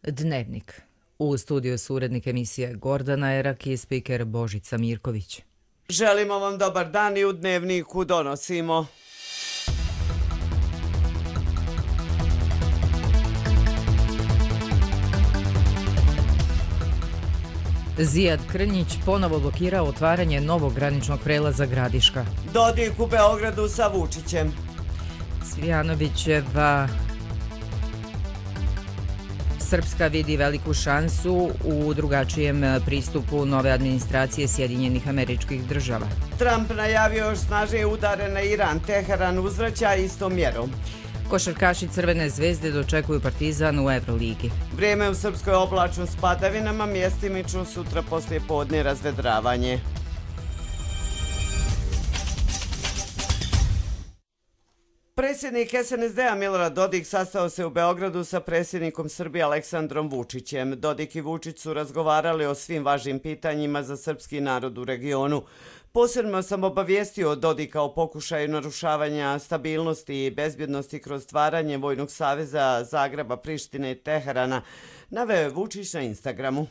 Dnevnik. U studiju su urednik emisije Gordana Erak i spiker Božica Mirković. Želimo vam dobar dan i u Dnevniku donosimo. Zijad Krnjić ponovo blokirao otvaranje novog graničnog prelaza Gradiška. Dodik u Beogradu sa Vučićem. Cvijanovićeva Srpska vidi veliku šansu u drugačijem pristupu nove administracije Sjedinjenih Američkih Država. Trump najavio još snažnije udare na Iran. Teheran uzvraća istom mjerom. Košarkaši Crvene zvezde dočekuju Partizan u Euroligi. Vrijeme u Srpskoj oblačno s padavinama, mjestimično sutra poslije podne razvedravanje. Predsjednik SNSD-a Milorad Dodik sastao se u Beogradu sa predsjednikom Srbije Aleksandrom Vučićem. Dodik i Vučić su razgovarali o svim važnim pitanjima za srpski narod u regionu. Posebno sam obavijestio Dodika o pokušaju narušavanja stabilnosti i bezbjednosti kroz stvaranje Vojnog saveza Zagreba, Prištine i Teherana, naveo je Vučić na Instagramu.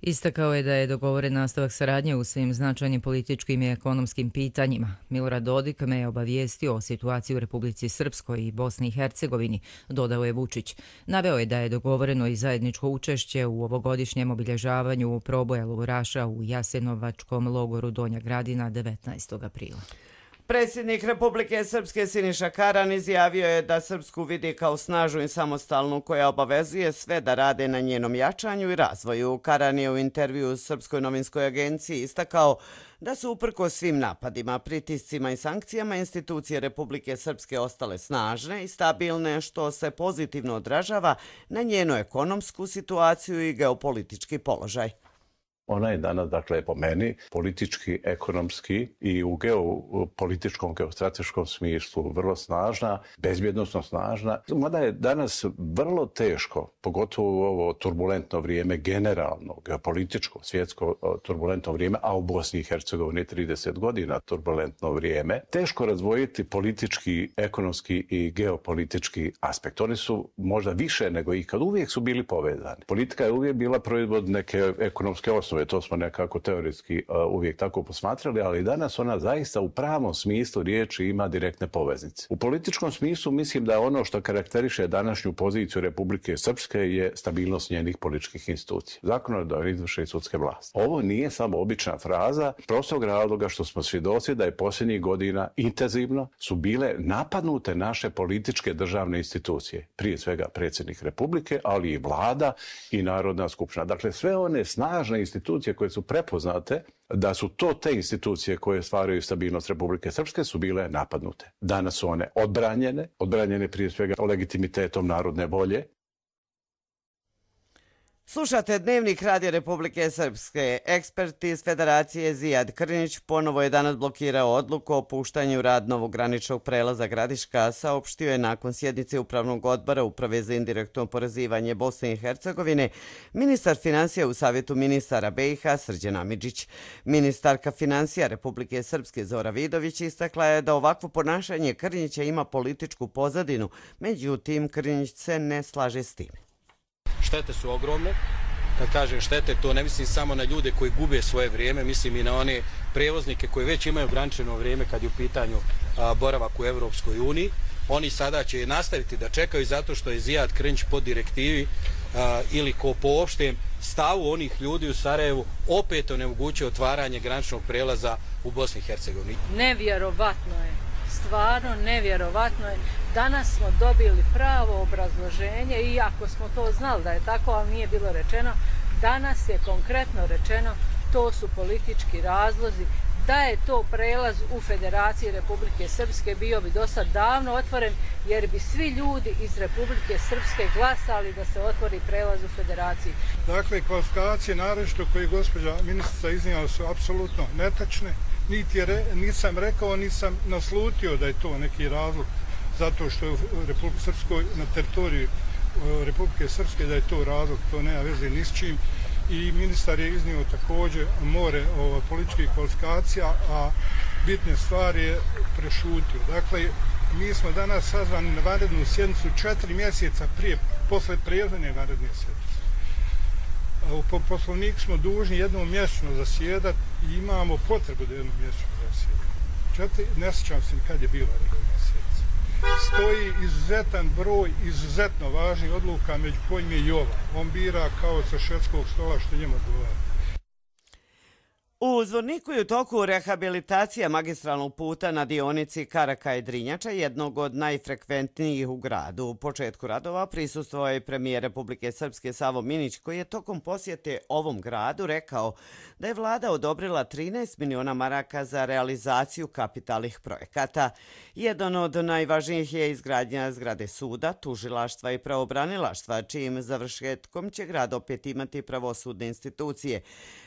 Istakao je da je dogovoren nastavak saradnje u svim značajnim političkim i ekonomskim pitanjima. Milorad Dodik me je obavijestio o situaciji u Republici Srpskoj i Bosni i Hercegovini, dodao je Vučić. Naveo je da je dogovoreno i zajedničko učešće u ovogodišnjem obilježavanju proboja logoraša u Jasenovačkom logoru Donja Gradina 19. aprila. Predsjednik Republike Srpske Siniša Karan izjavio je da Srpsku vidi kao snažnu i samostalnu koja obavezuje sve da rade na njenom jačanju i razvoju. Karan je u intervju Srpskoj novinskoj agenciji istakao da su uprkos svim napadima, pritiscima i sankcijama institucije Republike Srpske ostale snažne i stabilne, što se pozitivno odražava na njenu ekonomsku situaciju i geopolitički položaj. Ona je danas, dakle, po meni, politički, ekonomski i u geopolitičkom, geostrateškom smislu vrlo snažna, bezbjednosno snažna. Mada je danas vrlo teško, pogotovo u ovo turbulentno vrijeme, generalno, geopolitičko, svjetsko turbulentno vrijeme, a u Bosni i Hercegovini 30 godina turbulentno vrijeme, teško razdvojiti politički, ekonomski i geopolitički aspekt. Oni su možda više nego ikad, uvijek su bili povezani. Politika je uvijek bila proizvod neke ekonomske osnove. To smo nekako teoretski uvijek tako posmatrali, ali danas ona zaista u pravom smislu riječi ima direktne poveznice. U političkom smislu mislim da ono što karakteriše današnju poziciju Republike Srpske je stabilnost njenih političkih institucija. Zakonodavne, izvršne i sudske vlasti. Ovo nije samo obična fraza, prostog razloga što smo svjedoci da je posljednjih godina intenzivno su bile napadnute naše političke državne institucije. Prije svega predsjednik Republike, ali i vlada i Narodna skupština. Dakle, sve one snažne institucije koje su prepoznate da su to te institucije koje stvaraju stabilnost Republike Srpske su bile napadnute. Danas su one odbranjene prije svega legitimitetom narodne volje. Slušate Dnevnik Radija Republike Srpske. Ekspert iz Federacije Zijad Krnjić ponovo je danas blokirao odluku o puštanju rad novog graničnog prelaza Gradiška, saopštio je nakon sjednice Upravnog odbora Uprave za indirektno oporezivanje Bosne i Hercegovine ministar finansija u Savjetu ministara BiH Srđan Amidžić. Ministarka finansija Republike Srpske Zora Vidović istakla je da ovakvo ponašanje Krnjića ima političku pozadinu, međutim Krnjić se ne slaže s tim. Štete su ogromne. Kad kažem štete, to ne mislim samo na ljude koji gube svoje vrijeme, mislim i na one prevoznike koji već imaju ograničeno vrijeme kad je u pitanju boravak u Evropskoj uniji. Oni sada će nastaviti da čekaju zato što je Zijad Krnjić po direktivi ili po opštem stavu onih ljudi u Sarajevu opet onemogućuje otvaranje graničnog prelaza u Bosni i Hercegovini. Nevjerovatno je. Stvarno nevjerovatno je. Danas smo dobili pravo obrazloženje, iako smo to znali da je tako, ali nije bilo rečeno. Danas je konkretno rečeno, to su politički razlozi. Da je to prelaz u Federaciji Republike Srpske, bio bi do sad davno otvoren, jer bi svi ljudi iz Republike Srpske glasali da se otvori prelaz u Federaciji. Dakle, kvalifikacije naročito koje gospođa ministrica iznijela su apsolutno netačne. Nisam rekao, nisam naslutio da je to neki razlog zato što je u Republike Srpskoj, na teritoriji Republike Srpske, da je to razlog, to nema veze ni s čim. I ministar je iznio također more političkih kvalifikacija, a bitne stvari je prešutio. Dakle, mi smo danas sazvani na vanrednu sjednicu 4 mjeseca posle prethodne vanredne sjednice. Po poslovniku smo dužni jednom mjesečno zasjedati i imamo potrebu da jednom mjesečno zasjedati. Ne sjećam se kad je bila redovna sjednica. Stoji izuzetan broj izuzetno važnih odluka, među kojim je i ova. On bira kao sa švedskog stola što njemu odgovara. U Zvorniku je u toku rehabilitacija magistralnog puta na dionici Karakaj-Drinjača, jednog od najfrekventnijih u gradu. U početku radova prisustvovao je premijer Republike Srpske Savo Minić, koji je tokom posjete ovom gradu rekao da je vlada odobrila 13 miliona maraka za realizaciju kapitalnih projekata. Jedan od najvažnijih je izgradnja zgrade suda, tužilaštva i pravobranilaštva, čijim završetkom će grad opet imati pravosudne institucije.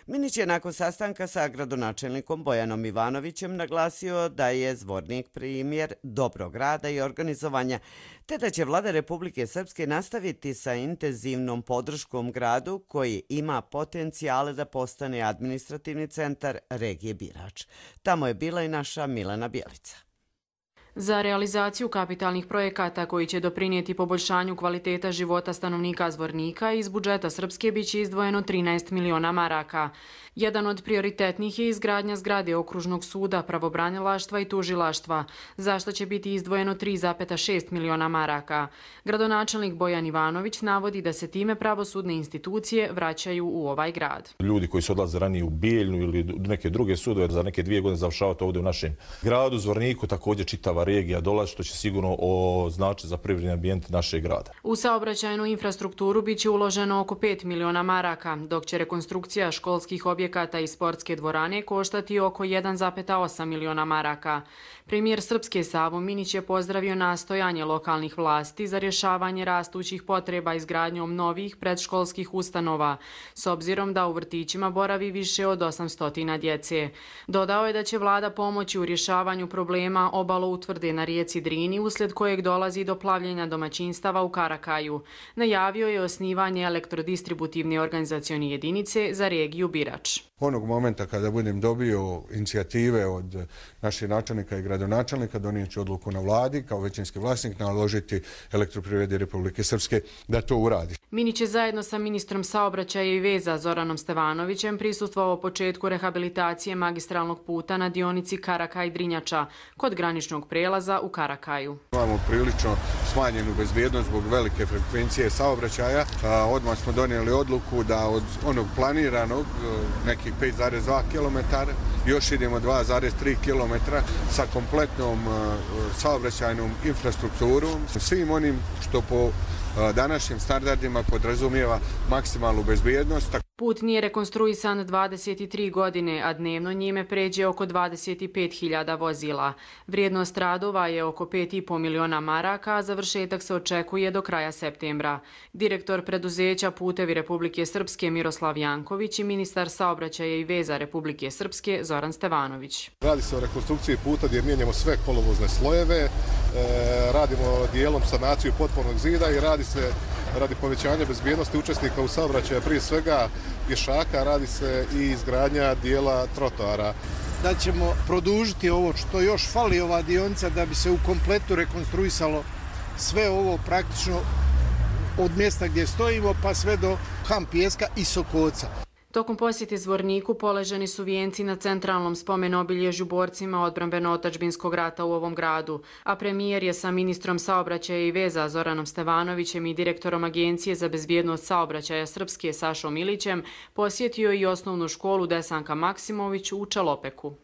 Minić je nakon sastanka sa gradonačelnikom Bojanom Ivanovićem naglasio da je Zvornik primjer dobrog rada i organizovanja, te da će vlada Republike Srpske nastaviti sa intenzivnom podrškom gradu koji ima potencijale da postane administrativni centar regije Birač. Tamo je bila i naša Milena Bjelica. Za realizaciju kapitalnih projekata koji će doprinijeti poboljšanju kvaliteta života stanovnika Zvornika iz budžeta Srpske biće izdvojeno 13 miliona maraka. Jedan od prioritetnih je izgradnja zgrade okružnog suda, pravobranilaštva i tužilaštva, za što će biti izdvojeno 3,6 miliona maraka. Gradonačelnik Bojan Ivanović navodi da se time pravosudne institucije vraćaju u ovaj grad. Ljudi koji su odlaze ranije u Bijeljnu ili neke druge sudove za neke 2 godine završavati ovdje u našem gradu, Zvorniku, također čitava regija dolazi, što će sigurno značiti za privredni ambijent našeg grada. U saobraćajnu infrastrukturu biće uloženo oko 5 miliona maraka, dok će rekonstrukcija školskih objekata i sportske dvorane koštati oko 1,8 miliona maraka. Premijer Srpske Savo Minić je pozdravio nastojanje lokalnih vlasti za rješavanje rastućih potreba izgradnjom novih predškolskih ustanova, s obzirom da u vrtićima boravi više od 800 djece. Dodao je da će vlada pomoći u rješavanju problema obaloutvrde na rijeci Drini, uslijed kojeg dolazi do plavljenja domaćinstava u Karakaju. Najavio je osnivanje elektrodistributivne organizacione jedinice za regiju Birač. Onog momenta kada budem dobio inicijative od naših načelnika i gradonačelnika, donijet ću odluku na vladi kao većinski vlasnik naložiti Elektroprivredi Republike Srpske da to uradi. Minić je zajedno sa ministrom saobraćaja i veza Zoranom Stevanovićem prisustvovao početku rehabilitacije magistralnog puta na dionici Karakaj-Drinjača kod graničnog prelaza u Karakaju. Imamo prilično smanjenu bezbjednost zbog velike frekvencije saobraćaja. Odmah smo donijeli odluku da od onog planiranog nekih 5,2 km još idemo 2,3 km sa kompletnom saobraćajnom infrastrukturom, svim onim što po današnjim standardima podrazumijeva maksimalnu bezbjednost. Put nije rekonstruisan 23 godine, a dnevno njime pređe oko 25.000 vozila. Vrijednost radova je oko 5,5 miliona maraka, a završetak se očekuje do kraja septembra. Direktor preduzeća Putevi Republike Srpske Miroslav Janković i ministar saobraćaja i veza Republike Srpske Zoran Stevanović. Radi se o rekonstrukciji puta gdje mijenjamo sve kolovozne slojeve, radimo dijelom sanaciju potpornog zida i radi se radi povećanja bezbjednosti učesnika u saobraćaju, prije svega pješaka, radi se i izgradnja dijela trotoara. Da ćemo produžiti ovo što još fali ova dionica da bi se u kompletu rekonstruisalo sve ovo praktično od mjesta gdje stojimo pa sve do Ham Pijeska i Sokoca. Tokom posjete Zvorniku položeni su vijenci na centralnom spomen-obilježju borcima odbrambeno-otadžbinskog rata u ovom gradu, a premijer je sa ministrom saobraćaja i veza Zoranom Stevanovićem i direktorom Agencije za bezbjednost saobraćaja Srpske Sašom Milićem posjetio i osnovnu školu Desanka Maksimović u Čalopeku.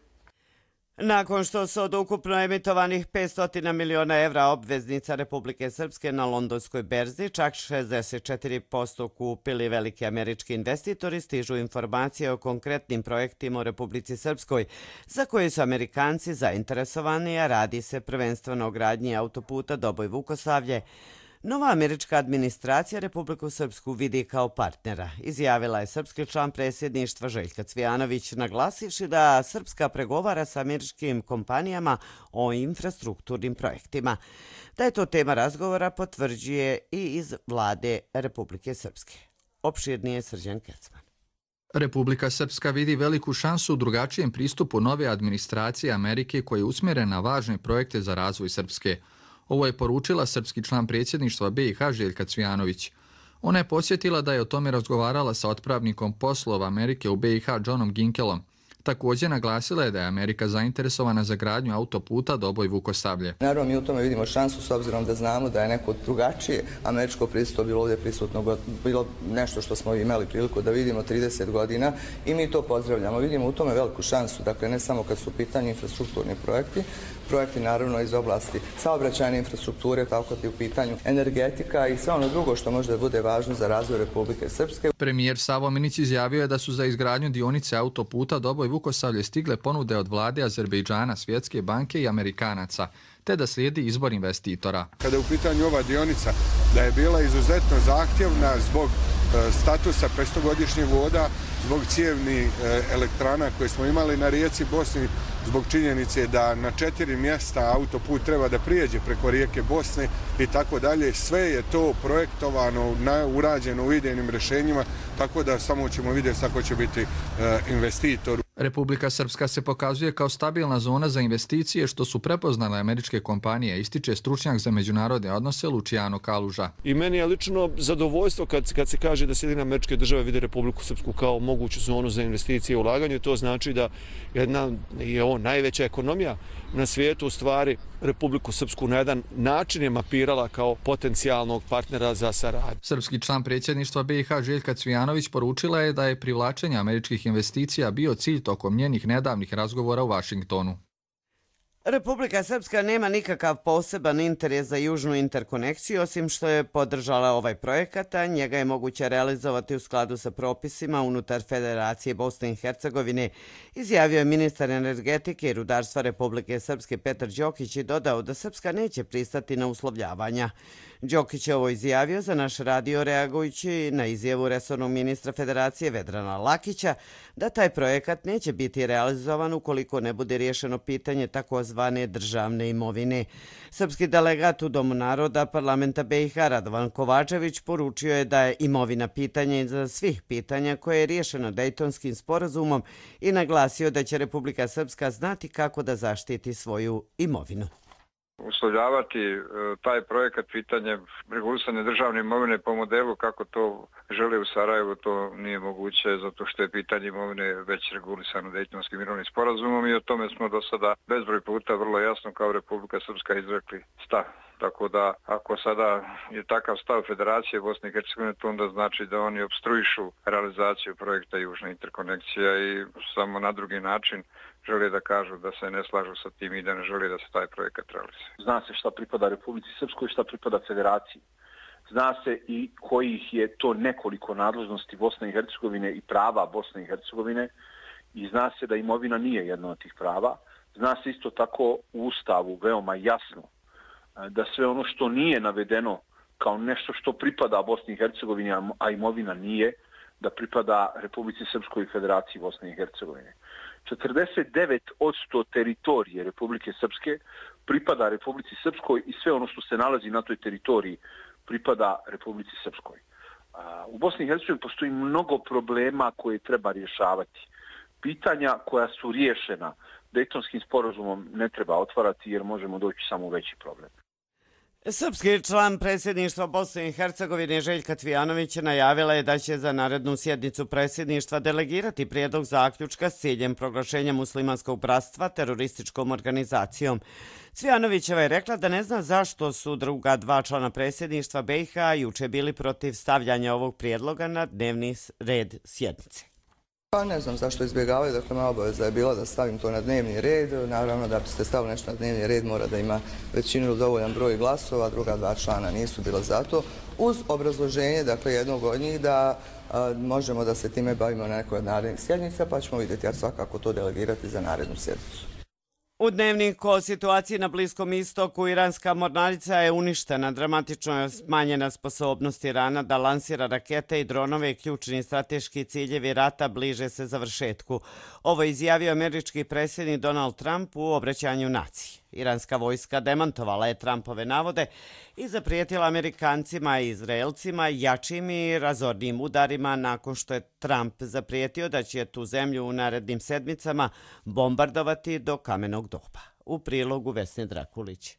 Nakon što su od ukupno emitovanih 500 miliona evra obveznica Republike Srpske na londonskoj berzi, čak 64% kupili veliki američki investitori, stižu informacije o konkretnim projektima u Republici Srpskoj, za koje su Amerikanci zainteresovani, a radi se prvenstveno o gradnji autoputa Doboj-Vukosavlje. Nova američka administracija Republiku Srpsku vidi kao partnera, izjavila je srpski član predsjedništva Željka Cvijanović, naglasivši da Srpska pregovara sa američkim kompanijama o infrastrukturnim projektima. Da je to tema razgovora potvrđuje i iz vlade Republike Srpske. Opširnije Srđan Kecman. Republika Srpska vidi veliku šansu u drugačijem pristupu nove administracije Amerike koja je usmjerena na važne projekte za razvoj Srpske. Ovo je poručila srpski član predsjedništva BiH Željka Cvijanović. Ona je podsjetila da je o tome razgovarala sa otpravnikom poslova Amerike u BiH Johnom Ginkelom. Također naglasila je da je Amerika zainteresovana za gradnju autoputa Doboj-Vukosablje. Naravno, mi u tome vidimo šansu s obzirom da znamo da je neko drugačije američko prisustvo bilo ovdje prisutno, bilo nešto što smo imali priliku da vidimo 30 godina i mi to pozdravljamo. Vidimo u tome veliku šansu, dakle ne samo kad su u pitanju infrastrukturni projekti naravno iz oblasti saobraćajne infrastrukture, tako i u pitanju energetika i sve ono drugo što možda bude važno za razvoj Republike Srpske. Premijer Savo Minić izjavio je da su za izgradnju dionice autoputa Doboj-Vukosablje stigle ponude od vlade Azerbejdžana, Svjetske banke i Amerikanaca, te da slijedi izbor investitora. Kada je u pitanju ova dionica, da je bila izuzetno zahtjevna zbog statusa 500-godišnjeg voda, zbog cijevnih elektrana koje smo imali na rijeci Bosni, zbog činjenice da na 4 mjesta autoput treba da prijeđe preko rijeke Bosne i tako dalje. Sve je to projektovano, urađeno u idejnim rješenjima, tako da samo ćemo vidjeti kako će biti investitor. Republika Srpska se pokazuje kao stabilna zona za investicije, što su prepoznale američke kompanije, ističe stručnjak za međunarodne odnose Luciano Kaluža. I meni je lično zadovoljstvo kad se kaže da Sjedinjene Američke Države vide Republiku Srpsku kao moguću zonu za investicije i ulaganje. To znači da jedna najveća ekonomija na svijetu u stvari Republiku Srpsku na jedan način je mapirala kao potencijalnog partnera za saradnju. Srpski član predsjedništva BiH Željka Cvijanović poručila je da je privlačenje američkih investicija bio cilj tokom njenih nedavnih razgovora u Vašingtonu. Republika Srpska nema nikakav poseban interes za južnu interkonekciju, osim što je podržala ovaj projekat, a njega je moguće realizovati u skladu sa propisima unutar Federacije Bosne i Hercegovine, izjavio je ministar energetike i rudarstva Republike Srpske Petar Đokić i dodao da Srpska neće pristati na uslovljavanja. Đokić je ovo izjavio za naš radio reagujući na izjavu resornog ministra Federacije Vedrana Lakića da taj projekat neće biti realizovan ukoliko ne bude riješeno pitanje takozvane državne imovine. Srpski delegat u Domu naroda parlamenta BiH Radovan Kovačević poručio je da je imovina pitanje za svih pitanja koje je riješeno Dejtonskim sporazumom i naglasio da će Republika Srpska znati kako da zaštiti svoju imovinu. Uslovljavati taj projekat pitanjem regulisane državne imovine po modelu kako to žele u Sarajevu, to nije moguće zato što je pitanje imovine već regulisano Dejtonskim mirovnim sporazumom i o tome smo do sada bezbroj puta vrlo jasno kao Republika Srpska izrekli stav. Tako da ako sada je takav stav Federacije Bosne i Hercegovine, to onda znači da oni opstruišu realizaciju projekta Južna interkonekcija i samo na drugi način žele da kažu da se ne slažu sa tim i da ne žele da se taj projekat realizuje. Zna se šta pripada Republici Srpskoj i šta pripada Federaciji. Zna se i kojih je to nekoliko nadležnosti Bosne i Hercegovine i prava Bosne i Hercegovine i zna se da imovina nije jedno od tih prava. Zna se isto tako u Ustavu veoma jasno da sve ono što nije navedeno kao nešto što pripada Bosni i Hercegovini, a imovina nije, da pripada Republici Srpskoj i Federaciji Bosne i Hercegovine. 49% teritorije Republike Srpske pripada Republici Srpskoj i sve ono što se nalazi na toj teritoriji pripada Republici Srpskoj. U Bosni i Hercegovini postoji mnogo problema koje treba rješavati. Pitanja koja su riješena Dejtonskim sporazumom ne treba otvarati jer možemo doći samo u veći problem. Srpski član predsjedništva Bosne i Hercegovine Željka Cvijanović najavila je da će za narednu sjednicu predsjedništva delegirati prijedlog zaključka s ciljem proglašenja muslimanskog bratstva terorističkom organizacijom. Cvijanovićeva je rekla da ne zna zašto su druga dva člana predsjedništva BiH juče bili protiv stavljanja ovog prijedloga na dnevni red sjednice. Pa ne znam zašto izbjegavaju, dakle moja obaveza je bila da stavim to na dnevni red. Naravno da biste stavili nešto na dnevni red mora da ima većinu ili dovoljan broj glasova, druga dva člana nisu bila za to. Uz obrazloženje, dakle jednog od njih da možemo da se time bavimo na nekoj od narednih sjednica, pa ćemo vidjeti svakako to delegirati za narednu sjednicu. U dnevniku o situaciji na Bliskom istoku iranska mornarica je uništena. Dramatično je smanjena sposobnost Irana da lansira rakete i dronove i ključni strateški ciljevi rata bliže se završetku. Ovo je izjavio američki predsjednik Donald Trump u obraćanju naciji. Iranska vojska demantovala je Trumpove navode i zaprijetila Amerikancima i Izraelcima jačim i razornim udarima nakon što je Trump zaprijetio da će tu zemlju u narednim sedmicama bombardovati do kamenog doba. U prilogu Vesne Drakulić.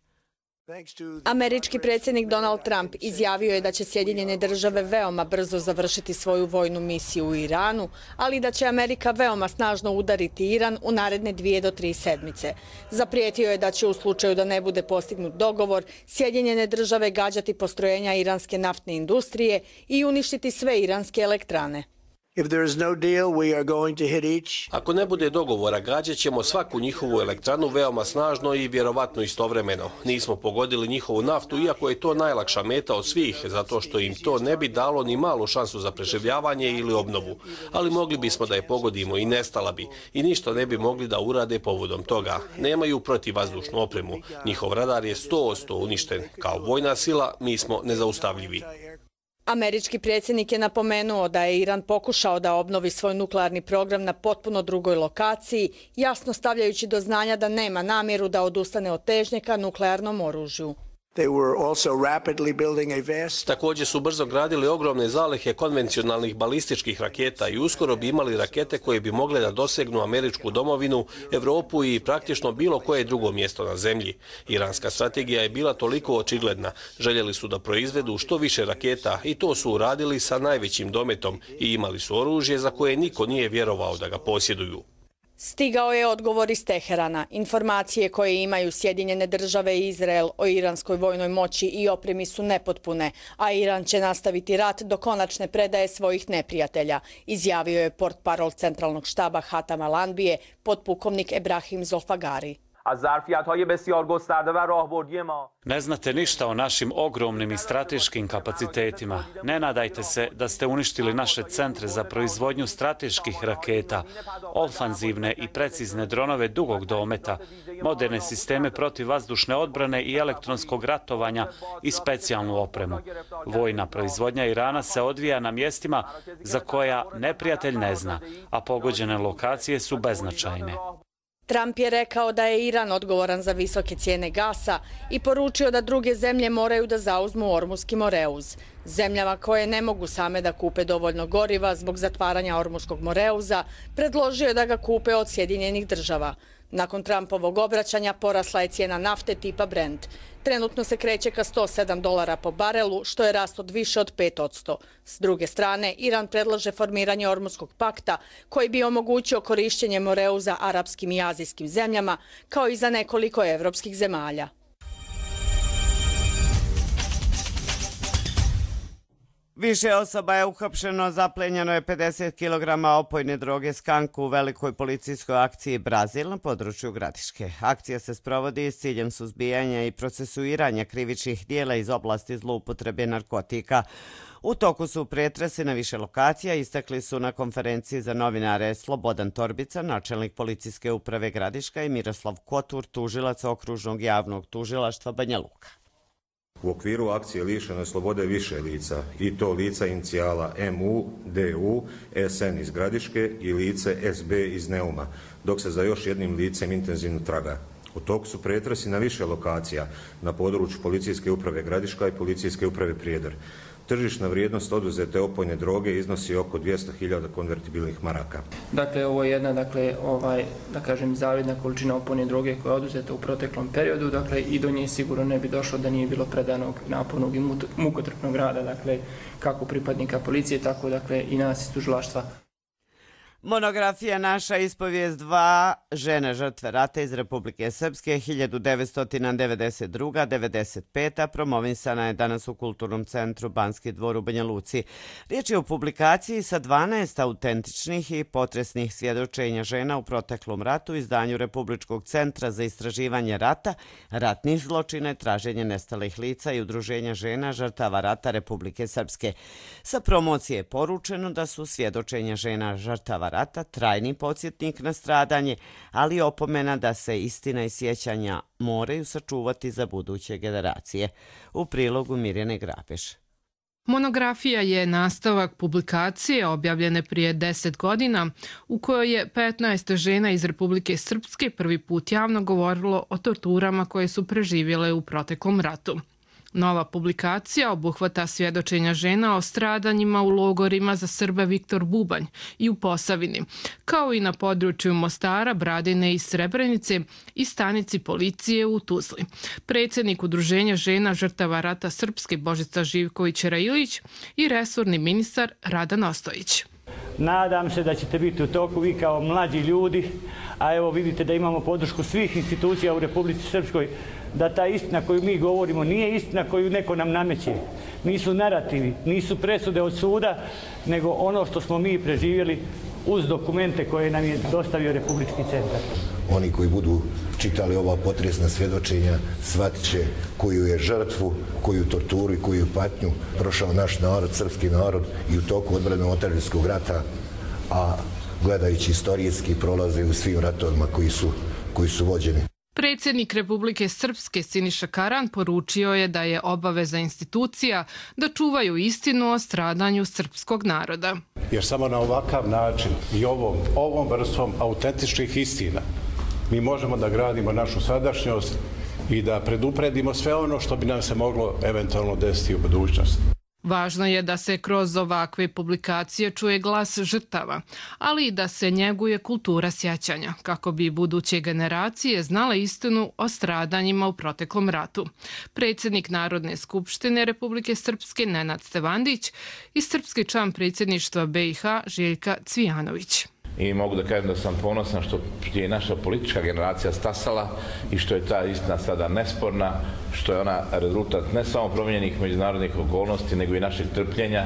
Američki predsjednik Donald Trump izjavio je da će Sjedinjene države veoma brzo završiti svoju vojnu misiju u Iranu, ali da će Amerika veoma snažno udariti Iran u naredne 2 do 3 sedmice. Zaprijetio je da će u slučaju da ne bude postignut dogovor, Sjedinjene države gađati postrojenja iranske naftne industrije i uništiti sve iranske elektrane. Ako ne bude dogovora, gađat ćemo svaku njihovu elektranu veoma snažno i vjerovatno istovremeno. Nismo pogodili njihovu naftu, iako je to najlakša meta od svih, zato što im to ne bi dalo ni malu šansu za preživljavanje ili obnovu. Ali mogli bismo da je pogodimo i nestala bi. I ništa ne bi mogli da urade povodom toga. Nemaju protivvazdušnu opremu. Njihov radar je 100% uništen. Kao vojna sila, mi smo nezaustavljivi. Američki predsjednik je napomenuo da je Iran pokušao da obnovi svoj nuklearni program na potpuno drugoj lokaciji, jasno stavljajući do znanja da nema namjeru da odustane od težnje ka nuklearnom oružju. Također su brzo gradili ogromne zalihe konvencionalnih balističkih raketa i uskoro bi imali rakete koje bi mogle da dosegnu američku domovinu, Evropu i praktično bilo koje drugo mjesto na zemlji. Iranska strategija je bila toliko očigledna. Željeli su da proizvedu što više raketa i to su uradili sa najvećim dometom i imali su oružje za koje niko nije vjerovao da ga posjeduju. Stigao je odgovor iz Teherana. Informacije koje imaju Sjedinjene države i Izrael o iranskoj vojnoj moći i opremi su nepotpune, a Iran će nastaviti rat do konačne predaje svojih neprijatelja, izjavio je portparol centralnog štaba Hatama Lanbije, podpukovnik Ebrahim Zolfagari. Ne znate ništa o našim ogromnim i strateškim kapacitetima. Ne nadajte se da ste uništili naše centre za proizvodnju strateških raketa, ofanzivne i precizne dronove dugog dometa, moderne sisteme protivvazdušne odbrane i elektronskog ratovanja i specijalnu opremu. Vojna proizvodnja Irana se odvija na mjestima za koja neprijatelj ne zna, a pogođene lokacije su beznačajne. Trump je rekao da je Iran odgovoran za visoke cijene gasa i poručio da druge zemlje moraju da zauzmu Ormuski Moreuz. Zemljama koje ne mogu same da kupe dovoljno goriva zbog zatvaranja Ormuskog Moreuza, predložio je da ga kupe od Sjedinjenih država. Nakon Trumpovog obraćanja porasla je cijena nafte tipa Brent. Trenutno se kreće ka $107 po barelu, što je rast od više od 5%. S druge strane, Iran predlaže formiranje Ormuskog pakta, koji bi omogućio korišćenje Moreuza arapskim i azijskim zemljama, kao i za nekoliko evropskih zemalja. Više osoba je uhapšeno, zaplenjeno je 50 kg opojne droge skanku u velikoj policijskoj akciji Brazil na području Gradiške. Akcija se sprovodi s ciljem suzbijanja i procesuiranja krivičnih dijela iz oblasti zloupotrebe narkotika. U toku su pretresi na više lokacija, istakli su na konferenciji za novinare Slobodan Torbica, načelnik policijske uprave Gradiška, i Miroslav Kotur, tužilac okružnog javnog tužilaštva Banja Luka. U okviru akcije lišeno je slobode više lica, i to lica inicijala MU, DU, SN iz Gradiške i lice SB iz Neuma, dok se za još jednim licem intenzivno traga. U toku su pretresi na više lokacija na području policijske uprave Gradiška i policijske uprave Prijedor. Tržišna vrijednost oduzete opojne droge iznosi oko 200.000 konvertibilnih maraka. Dakle, ovo je jedna, zavidna količina opojne droge koja je oduzeta u proteklom periodu, i do nje sigurno ne bi došlo da nije bilo predanog napornog i mukotrpnog rada, kako pripadnika policije, tako i nas iz tužilaštva. Monografija Naša ispovijest 2 žene žrtve rata iz Republike Srpske 1992-95. promovisana je danas u Kulturnom centru Banski dvor u Banja Luci. Riječ je o publikaciji sa 12 autentičnih i potresnih svjedočenja žena u proteklom ratu, izdanju Republičkog centra za istraživanje rata, ratnih zločina i traženje nestalih lica i Udruženja žena žrtava rata Republike Srpske. Sa promocije je poručeno da su svjedočenja žena žrtava rata trajni podsjetnik na stradanje, ali opomena da se istina i sjećanja moraju sačuvati za buduće generacije. U prilogu Mirjane Grabeš. Monografija je nastavak publikacije objavljene prije 10 godina u kojoj je 15 žena iz Republike Srpske prvi put javno govorilo o torturama koje su preživjele u proteklom ratu. Nova publikacija obuhvata svjedočenja žena o stradanjima u logorima za Srbe Viktor Bubanj i u Posavini, kao i na području Mostara, Bradine i Srebrenice i stanici policije u Tuzli. Predsjednik Udruženja žena žrtava rata Srpske Božica Živković-Railić i resorni ministar Rada Nostojić. Nadam se da ćete biti u toku vi kao mlađi ljudi, a evo vidite da imamo podršku svih institucija u Republici Srpskoj, da ta istina koju mi govorimo nije istina koju neko nam nameće. Nisu narativi, nisu presude od suda, nego ono što smo mi preživjeli uz dokumente koje nam je dostavio Republički centar. Oni koji budu čitali ova potresna svjedočenja shvatit će koju je žrtvu, koju torturu i koju patnju prošao naš narod, srpski narod i u toku odbrane otadžbinskog rata, a gledajući istorijski prolaze u svim ratovima koji su vođeni. Predsjednik Republike Srpske Siniša Karan poručio je da je obaveza institucija da čuvaju istinu o stradanju srpskog naroda. Jer samo na ovakav način i ovom vrstom autentičnih istina mi možemo da gradimo našu sadašnjost i da predupredimo sve ono što bi nam se moglo eventualno desiti u budućnosti. Važno je da se kroz ovakve publikacije čuje glas žrtava, ali i da se njeguje kultura sjećanja, kako bi buduće generacije znale istinu o stradanjima u proteklom ratu. Predsjednik Narodne skupštine Republike Srpske Nenad Stevandić i srpski član predsjedništva BiH Željka Cvijanović. I mogu da kažem da sam ponosan što je naša politička generacija stasala i što je ta istina sada nesporna, što je ona rezultat ne samo promijenjenih međunarodnih okolnosti, nego i našeg trpljenja,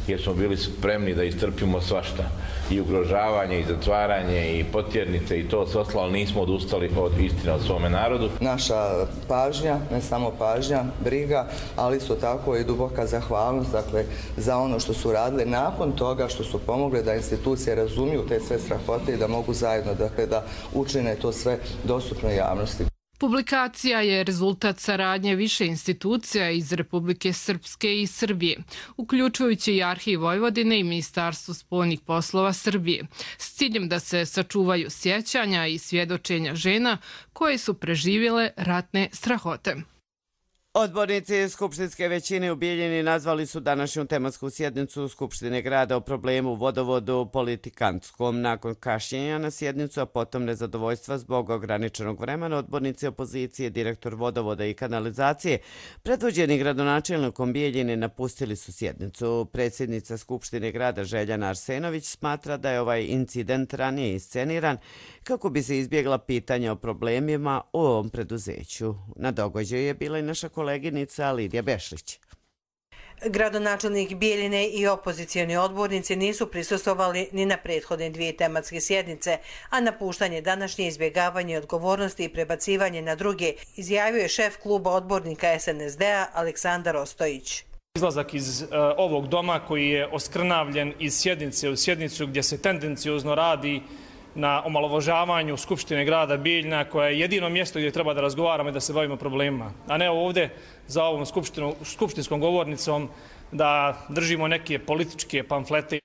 jer smo bili spremni da istrpimo svašta. I ugrožavanje, i zatvaranje, i potjernice, i to sve ostalo, ali nismo odustali od istine o svome narodu. Naša pažnja, ne samo pažnja, briga, ali isto tako i duboka zahvalnost, dakle, za ono što su radili nakon toga, što su pomogli da institucije razumiju te sve strahote i da mogu zajedno, dakle, da učine to sve dostupno javnosti. Publikacija je rezultat saradnje više institucija iz Republike Srpske i Srbije, uključujući i Arhiv Vojvodine i Ministarstvo spoljnih poslova Srbije, s ciljem da se sačuvaju sjećanja i svjedočenja žena koje su preživjele ratne strahote. Odbornici Skupštinske većine u Bijeljini nazvali su današnju tematsku sjednicu Skupštine grada o problemu u vodovodu politikantskom. Nakon kašnjenja na sjednicu, a potom nezadovoljstva zbog ograničenog vremena, odbornici opozicije, direktor vodovoda i kanalizacije, predvođeni gradonačelnikom Bijeljine, napustili su sjednicu. Predsjednica Skupštine grada Željana Arsenović smatra da je ovaj incident ranije isceniran kako bi se izbjegla pitanja o problemima u ovom preduzeću. Na događaju je bila i naša koleginica Lidija Bešlić. Gradonačelnik Bijeljine i opozicijoni odbornici nisu prisustvovali ni na prethodne dvije tematske sjednice, a napuštanje današnje izbjegavanje odgovornosti i prebacivanje na druge, izjavio je šef kluba odbornika SNSD-a Aleksandar Ostojić. Izlazak iz ovog doma koji je oskrnavljen iz sjednice u sjednicu gdje se tendenciozno radi na omalovažavanju Skupštine grada Bijeljina, koja je jedino mjesto gdje treba da razgovaramo i da se bavimo problemima, a ne ovdje za ovom skupštinskom govornicom da držimo neke političke pamflete.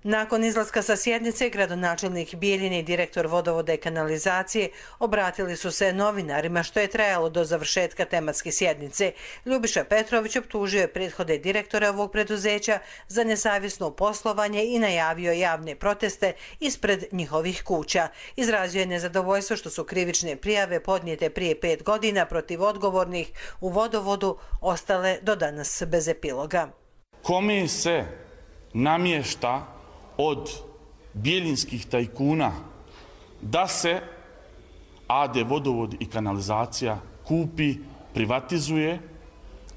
Nakon izlaska sa sjednice, gradonačelnik Bijeljine i direktor vodovoda i kanalizacije obratili su se novinarima, što je trajalo do završetka tematske sjednice. Ljubiša Petrović optužio je prethodne direktora ovog preduzeća za nesavjesno poslovanje i najavio javne proteste ispred njihovih kuća. Izrazio je nezadovoljstvo što su krivične prijave podnijete prije 5 godina protiv odgovornih u vodovodu ostale do danas bez epiloga. Kome se namješta od bijeljinskih tajkuna da se AD vodovod i kanalizacija kupi, privatizuje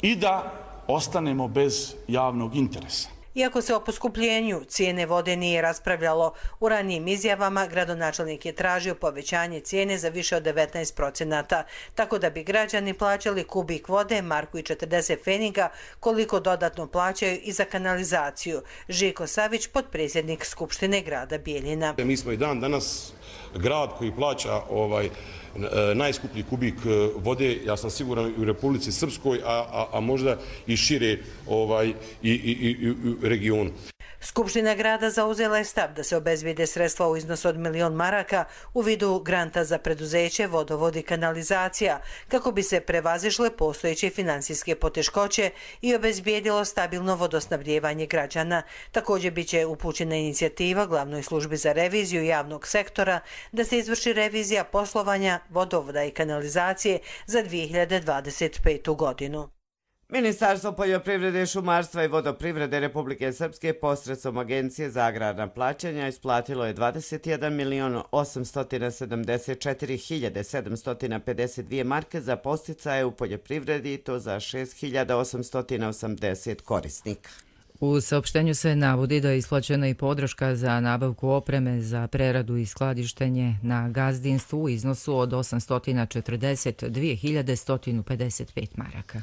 i da ostanemo bez javnog interesa? Iako se o poskupljenju cijene vode nije raspravljalo, u ranijim izjavama gradonačelnik je tražio povećanje cijene za više od 19%, tako da bi građani plaćali kubik vode, marku i 40 pfeniga, koliko dodatno plaćaju i za kanalizaciju. Žiko Savić, potpredsjednik Skupštine grada Bijeljina. Mi smo i dan danas grad koji plaća najskuplji kubik vode, ja sam siguran i u Republici Srpskoj, a možda i šire i regionu. Skupština grada zauzela je stav da se obezbijede sredstva u iznosu od 1 milion maraka u vidu granta za preduzeće, vodovod i kanalizacija, kako bi se prevazišle postojeće finansijske poteškoće i obezbijedilo stabilno vodosnabdijevanje građana. Također biće upućena inicijativa Glavnoj službi za reviziju javnog sektora da se izvrši revizija poslovanja vodovoda i kanalizacije za 2025. godinu. Ministarstvo poljoprivrede, šumarstva i vodoprivrede Republike Srpske posredstvom Agencije za agrarna plaćanja isplatilo je 21.874.752 marke za podsticaje u poljoprivredi i to za 6.880 korisnika. U saopštenju se navodi da je isplaćena i podrška za nabavku opreme za preradu i skladištenje na gazdinstvu u iznosu od 842.155 maraka.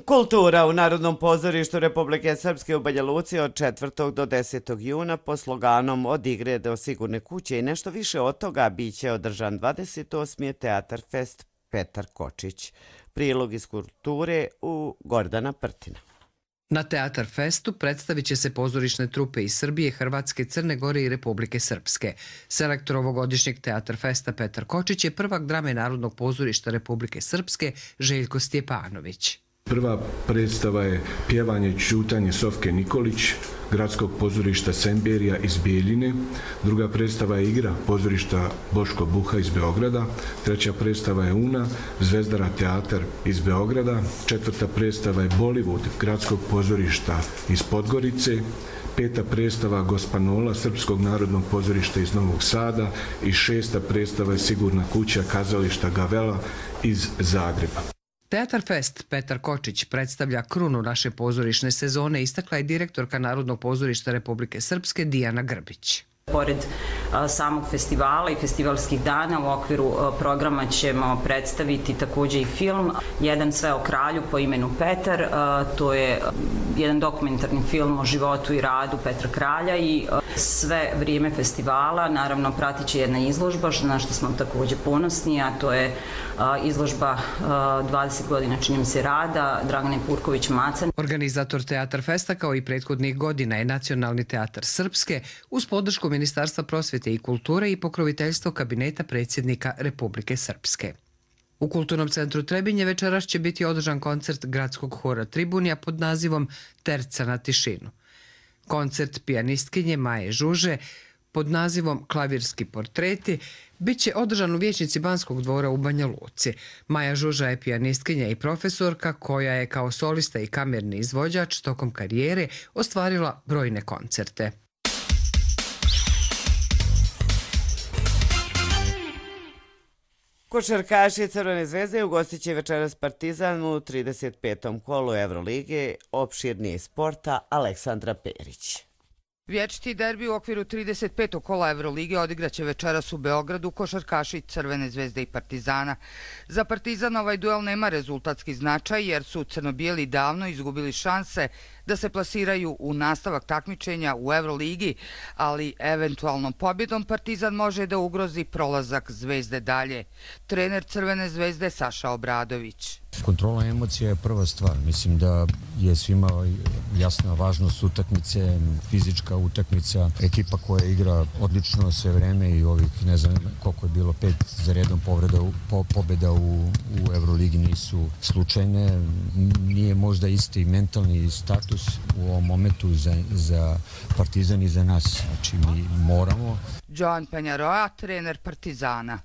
Kultura u Narodnom pozorištu Republike Srpske u Banja Luci od 4. do 10. juna po sloganom Od igre do sigurne kuće i nešto više od toga biće održan 28. Teatar Fest Petar Kočić. Prilog iz kulture u Gordana Prtina. Na Teatar Festu predstavit će se pozorišne trupe iz Srbije, Hrvatske, Crne Gore i Republike Srpske. Selektor ovogodišnjeg Teatar Festa Petar Kočić je prvak drame Narodnog pozorišta Republike Srpske Željko Stjepanović. Prva predstava je Pjevanje i ćutanje Sofke Nikolić, Gradskog pozorišta Semberija iz Bijeljine. Druga predstava je Igra pozorišta Boško Buha iz Beograda. Treća predstava je Una, Zvezdara teatar iz Beograda. Četvrta predstava je Bollywood Gradskog pozorišta iz Podgorice. Peta predstava Gospanola Srpskog narodnog pozorišta iz Novog Sada i šesta predstava je Sigurna kuća kazališta Gavela iz Zagreba. Teatar Fest Petar Kočić predstavlja krunu naše pozorišne sezone, istakla je direktorka Narodnog pozorišta Republike Srpske Dijana Grbić. Pored samog festivala i festivalskih dana u okviru programa ćemo predstaviti također i film Jedan sve o kralju po imenu Petar. To je jedan dokumentarni film o životu i radu Petra Kralja i sve vrijeme festivala naravno pratit će jedna izložba na što smo također ponosni, a to je izložba 20 godina čini mi se rada Dragane Purković-Macan. Organizator Teatar Festa kao i prethodnih godina je Nacionalni teatar Srpske uz podršku Ministarstva prosvjete i kulture i pokroviteljstvo kabineta predsjednika Republike Srpske. U Kulturnom centru Trebinje večeras će biti održan koncert gradskog hora Tribunija pod nazivom Terca na tišinu. Koncert pijanistkinje Maje Žuže pod nazivom Klavirski portreti bit će održan u vijećnici Banskog dvora u Banja Luci. Maja Žuža je pijanistkinja i profesorka koja je kao solista i kamerni izvođač tokom karijere ostvarila brojne koncerte. Košarkaši Crvene zvezde ugostit će večeras Partizan u 35. kolu Evrolige. Opširnije sporta Aleksandra Perić. Vječiti derbi u okviru 35. kola Evrolige odigraće večeras u Beogradu košarkaši Crvene zvezde i Partizana. Za Partizan ovaj duel nema rezultatski značaj jer su crno-bijeli davno izgubili šanse da se plasiraju u nastavak takmičenja u Evroligi, ali eventualnom pobjedom Partizan može da ugrozi prolazak Zvezde dalje. Trener Crvene zvezde Saša Obradović. Kontrola emocija je prva stvar. Mislim da je svima jasna važnost utakmice, fizička utakmica, ekipa koja igra odlično sve vreme i ovih, ne znam koliko je bilo, 5 za redom pobjeda u Evroligi nisu slučajne. Nije možda isti mentalni status u ovom momentu za Partizan i za nas. Znači mi moramo. Joan Penjaroa, trener Partizana.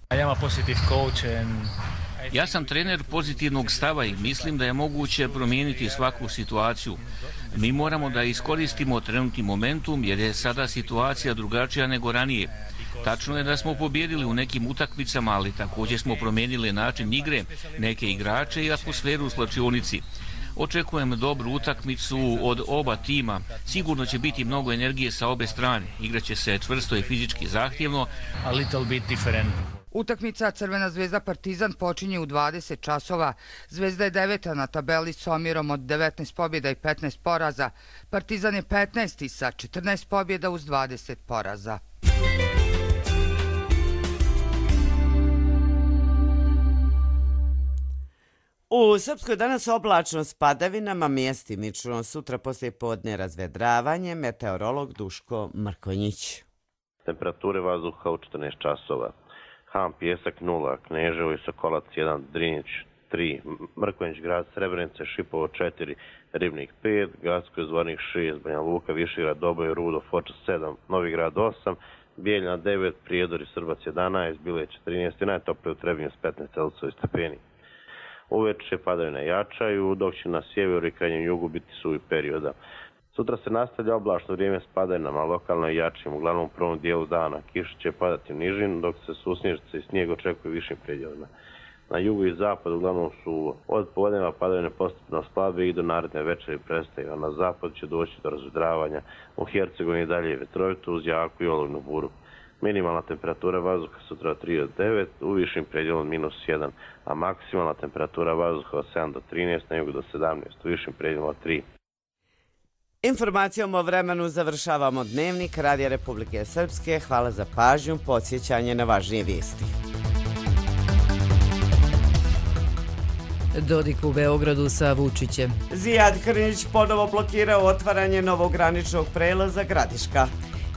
Ja sam trener pozitivnog stava i mislim da je moguće promijeniti svaku situaciju. Mi moramo da iskoristimo trenutni momentum jer je sada situacija drugačija nego ranije. Tačno je da smo pobjedili u nekim utakmicama, ali također smo promijenili način igre, neke igrače i atmosferu u slačionici. Očekujem dobru utakmicu od oba tima. Sigurno će biti mnogo energije sa obe strane. Igraće se čvrsto i fizički zahtjevno. A little bit different. Utakmica Crvena zvezda Partizan počinje u 20 časova. Zvezda je 9. na tabeli s omjerom od 19 pobjeda i 15 poraza. Partizan je 15. sa 14 pobjeda uz 20 poraza. U U Srpskoj danas oblačno s padavinama, mjestimično, sutra poslije podne razvedravanje, meteorolog Duško Mrkonjić. Temperature vazduha u 14 časova. Han, Pjesak 0, Kneževo i Sokolac 1, Drinjić 3, Mrkonjić grad, Srebrenice, Šipovo 4, Ribnik 5, Gacko Zvornik 6, Banja Luka, Višegrad, Doboj, Rudo, Foča 7, Novi Grad 8, Bijeljina 9, Prijedor i Srbac 11, Bileć 13 i najtoplije u Trebinju s 15 Celsiusovih stepeni. Uveče padavine jačaju, dok će na sjeveru i krajnjem jugu biti suvi perioda. Sutra se nastavlja oblačno vrijeme s padavinama, lokalno i jačim, uglavnom u prvom dijelu dana. Kiša će padati u nižinu, dok se susnježice i snijeg očekuju višim predjelima. Na jugu i zapadu uglavnom su od podneva padavine postupno slabe i do naredne večeri prestaju, a na zapadu će doći do razvedravanja. U Hercegovini dalje je vetrovito uz jaku i olujnu buru. Minimalna temperatura vazduha sutra od 3 do 9, u višim predjelom -1, a maksimalna temperatura vazduha od 7 do 13, na jugu do 17, u višim predjelom od 3. Informacijom o vremenu završavamo Dnevnik Radija Republike Srpske. Hvala za pažnju, podsjećanje na važnije vijesti. Dodik u Beogradu sa Vučićem. Zijad Krnić ponovo blokirao otvaranje novog graničnog prelaza Gradiška.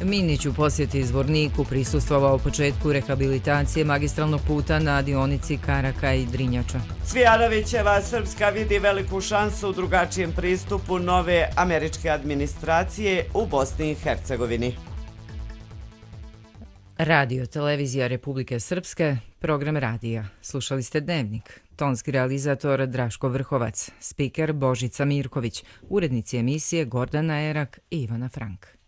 Minić u posjeti Zvorniku prisustvovao početku rehabilitacije magistralnog puta na dionici Karaka i Drinjača. Cvijanovićeva Srpska vidi veliku šansu u drugačijem pristupu nove američke administracije u Bosni i Hercegovini. Radio Televizija Republike Srpske, program radija. Slušali ste Dnevnik. Tonski realizator Draško Vrhovac, spiker Božica Mirković, urednici emisije Gordana Erak i Ivana Frank.